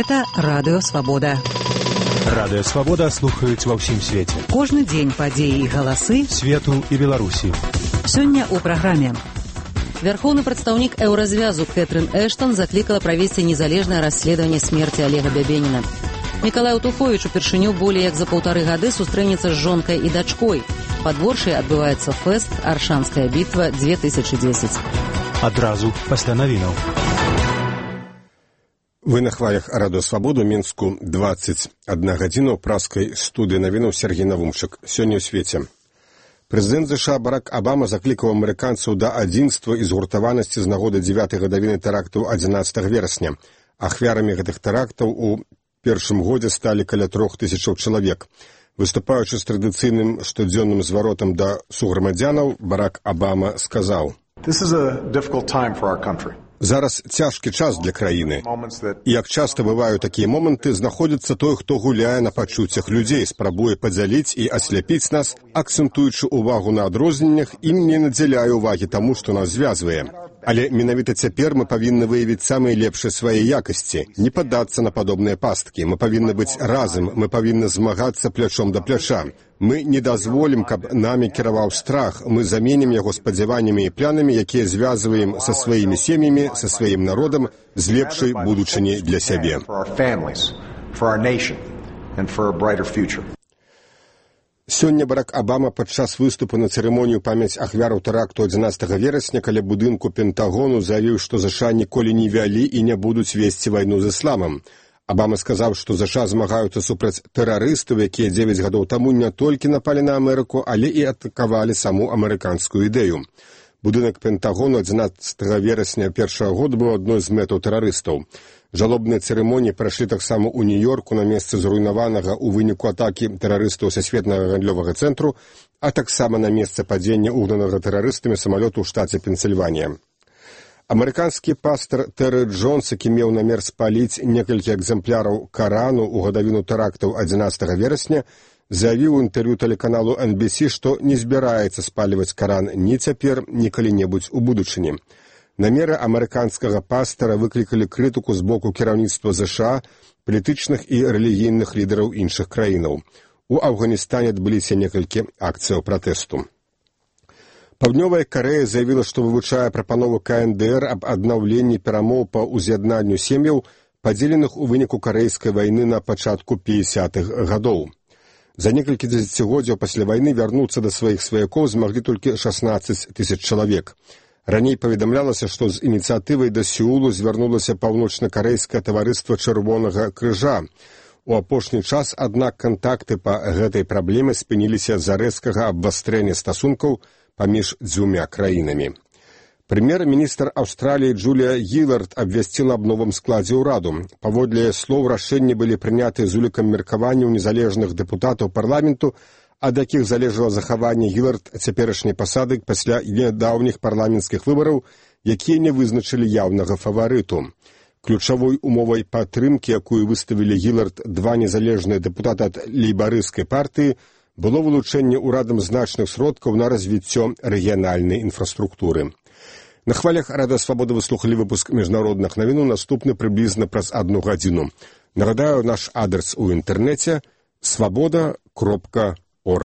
Гэта Радыё Свабода. Радыё Свабода слухаюць ва ўсім свеце. Кожны дзень падзеі і галасы свету і Беларусі. Сёння ў праграме. Вярхоўны прадстаўнік Еўразвязу Кэтрын Эштон заклікала правесці незалежнае расследаванне смерці Олега Бябеніна. Мікалай Утуховіч упершыню болей як за 1,5 гады сустрэнецца з жонкай і дачкой. Пад Воршай адбываецца фэст «Аршанская бітва 2010». Адразу пасля навінаў. Вы на хвалях Радыё Свабоду, Мінску, 21 гадзіна ў праскай студыі навінаў Сергей Навумчык. Сёння ў свеце. Прэзідэнт США Барак Абама заклікаў амерыканцаў да адзінства і згуртаванасці з нагоды 9-й гадавіны тэрактаў 11 верасня. Ахвярамі гэтых тэрактаў у першым годзе сталі каля 3000 чалавек. Выступаючы з традыцыйным штодзённым зваротам да суграмадзянаў, Барак Абама сказаў: "This is a difficult time for our country. Зараз цяжкі час для краіны. І як часта бываюць такія моманты, знаходзіцца той, хто гуляе на пачуццях людзей, спрабуе падзяліць і асляпіць нас, акцэнтуючы ўвагу на адрозненнях і не надзяляе ўвагі таму, што нас звязвае. Але менавіта цяпер мы павінны выявіць самыя лепшыя свае якасці, не паддацца на падобныя пасткі. Мы павінны быць разам, мы павінны змагацца плячом да пляча. Мы не дазволім, каб намі кіраваў страх. Мы заменім яго спадзяваннямі і планамі, якія звязваем са сваімі сем'ямі, са сваім народам, з лепшай будучыні для сябе." Сёння Барак Абама падчас выступу на цырымонію памяць ахвяраў тэракту 11 верасня каля будынку Пентагону заявіў, што ЗША ніколі не вялі і не будуць весці вайну з ісламам. Абама сказаў, што ЗША змагаюцца супраць тэрарыстаў, якія 9 гадоў таму не толькі напалі на Амерыку, але і атакавалі саму амерыканскую ідэю. Будынак Пентагону 11 верасня першага года быў адной з мэтаў тэрарыстаў. Жалобныя цырымоніі прайшлі таксама ў Нью-Йорку на месцы зруйнаванага ў выніку атакі тэрарыстаў Сусветнага гандлёвага цэнтру, а таксама на месцы падзення угнанага тэрарыстамі самалёту ў штаце Пенсільванія. Амерыканскі пастор Тэры Джонс, які меў намер спаліць некалькі экземпляраў Карану ў гадавіну тэрактаў 11 верасня, заявіў у інтэрв'ю тэлеканалу NBC, што не збіраецца спаліваць Каран ні цяпер, ні калі-небудзь у будучыні. Намеры амерыканскага пастора выклікалі крытыку з боку кіраўніцтва ЗША, палітычных і рэлігійных лідараў іншых краінаў. У Афганістане адбыліся некалькі акцыяў пратэсту. Паўднёвая Карэя заявіла, што вывучае прапанову КНДР аб аднаўленні перамоў па ўз'яднанню сем'яў, падзеленых у выніку карэйскай вайны на пачатку 50-х гадоў. За некалькі дзесяцігоддзяў пасля вайны вярнуцца да сваіх сваякоў змаглі толькі 16 000 чалавек. Раней паведамлялася, што з ініцыятывай да Сеулу звярнулася паўночна-карэйскае таварыства Чырвонага крыжа. У апошні час, аднак, кантакты па гэтай праблеме спыніліся з-за рэзкага абвастрэння стасункаў паміж дзвюмя краінамі. Прэм'ер-міністр Аўстраліі Джулія Гілард абвясціла аб новым складзе ўраду. Паводле слоў, рашэнні былі прынятыя з улікам меркаванняў незалежных дэпутатаў парламенту, ад якіх залежала захаванне Гілард цяперашняй пасады пасля нядаўніх парламенцкіх выбараў, якія не вызначылі яўнага фаварыту. Ключавой умовай падтрымкі, якую выставілі Гілард два незалежныя дэпутаты ад лейбарысцкай партыі, было вылучэнне ўрадам значных сродкаў на развіццё рэгіянальнай інфраструктуры. На хвалях Радыё Свабода вы слухалі выпуск міжнародных навінаў, наступны прыблізна праз 1 гадзіну. Нагадаю, наш адрес у інтэрнэце – swaboda.org.